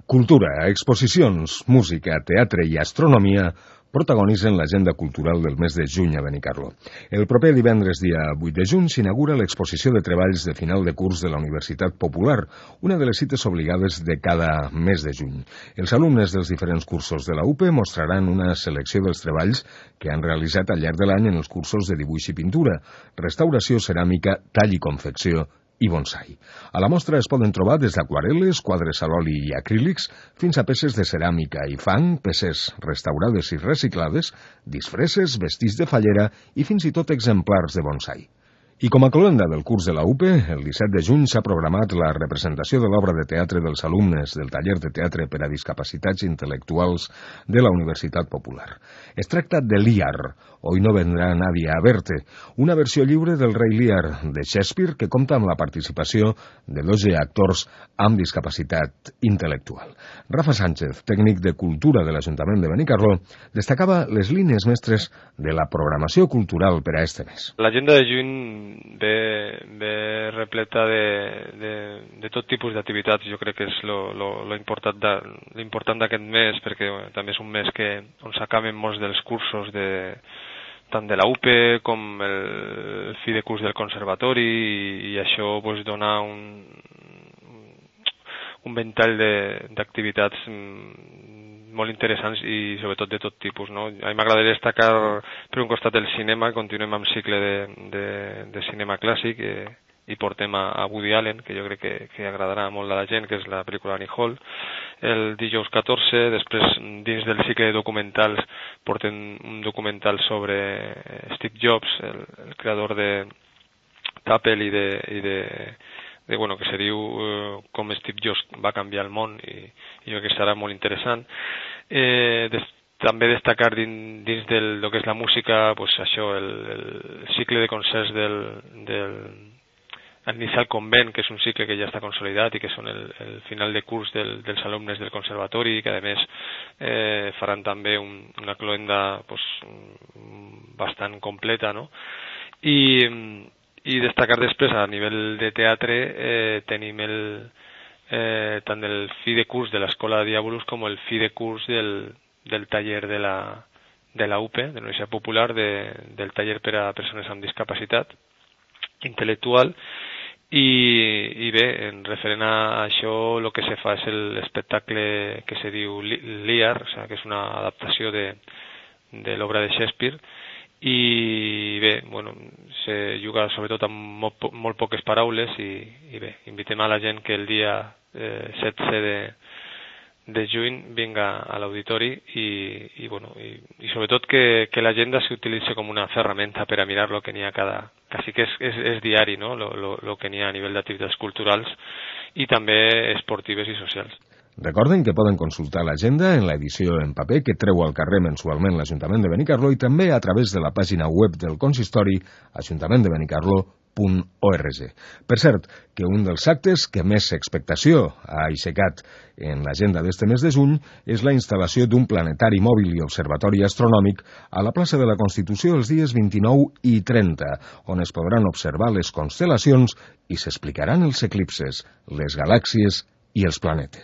Cultura, exposicions, música, teatre i astronomia protagonitzen l'agenda cultural del mes de juny a Benicarló. El proper divendres, dia 8 de juny, s'inaugura l'exposició de treballs de final de curs de la Universitat Popular, una de les cites obligades de cada mes de juny. Els alumnes dels diferents cursos de la UPE mostraran una selecció dels treballs que han realitzat al llarg de l'any en els cursos de dibuix i pintura, restauració ceràmica, tall i confecció i bonsai. A la mostra es poden trobar des d'aquarel·les, quadres a l'oli i acrílics, fins a peces de ceràmica i fang, peces restaurades i reciclades, disfresses, vestits de fallera i fins i tot exemplars de bonsai. I com a cloenda del curs de la UPE, el 17 de juny s'ha programat la representació de l'obra de teatre dels alumnes del taller de teatre per a discapacitats intel·lectuals de la Universitat Popular. Es tracta de Lear, Hoy no vendrá nadie a verte, una versió lliure del Rei Lear de Shakespeare que compta amb la participació de 12 actors amb discapacitat intel·lectual. Rafa Sánchez, tècnic de Cultura de l'Ajuntament de Benicarló, destacava les línies mestres de la programació cultural per a este mes. L'agenda de juny ve repleta de tot tipus d'activitats. Jo crec que és l'important d'aquest mes, perquè també és un mes on s'acaben molts dels cursos tant de la UPE com el fi de curs del conservatori, i això dona un ventall d'activitats molt interessants i sobretot de tot tipus, no? A mi m'agradaria destacar per un costat el cinema. Continuem amb cicle de cinema clàssic i portem a Woody Allen, que jo crec que agradarà molt a la gent, que és la pel·lícula Annie Hall. El dijous 14, després dins del cicle de documentals portem un documental sobre Steve Jobs, el creador de Apple que se diu com Steve Jobs va canviar el món, i jo crec que serà molt interessant. També destacar dins del que és la música, això, el cicle de concerts del Inicial Convent, que és un cicle que ja està consolidat i que són el final de curs dels alumnes del conservatori, que a més faran també una cloenda bastant completa, no? I destacar després, a nivell de teatre, tenim tant el fi de curs de l'Escola Diabolus com el fi de curs del taller de la UPE, de la Universitat Popular, del taller per a persones amb discapacitat intel·lectual. I bé, en referent a això, el que se fa és l'espectacle que se diu Lear, que és una adaptació de l'obra de Shakespeare, i bé, se juga sobretot amb molt poques paraules, i bé, invitem a la gent que el dia 16 de juny vinga a l'auditori i sobretot que l'agenda s'utilitzi com una ferramenta per a mirar el que n'hi ha quasi que és diari, no? El que n'hi ha a nivell d'activitats culturals i també esportives i socials. Recorden que poden consultar l'agenda en l'edició en paper que treu al carrer mensualment l'Ajuntament de Benicarló i també a través de la pàgina web del consistori ajuntamentdebenicarló.org. Per cert, que un dels actes que més expectació ha aixecat en l'agenda d'este mes de juny és la instal·lació d'un planetari mòbil i observatori astronòmic a la plaça de la Constitució els dies 29 i 30, on es podran observar les constel·lacions i s'explicaran els eclipses, les galàxies i els planetes.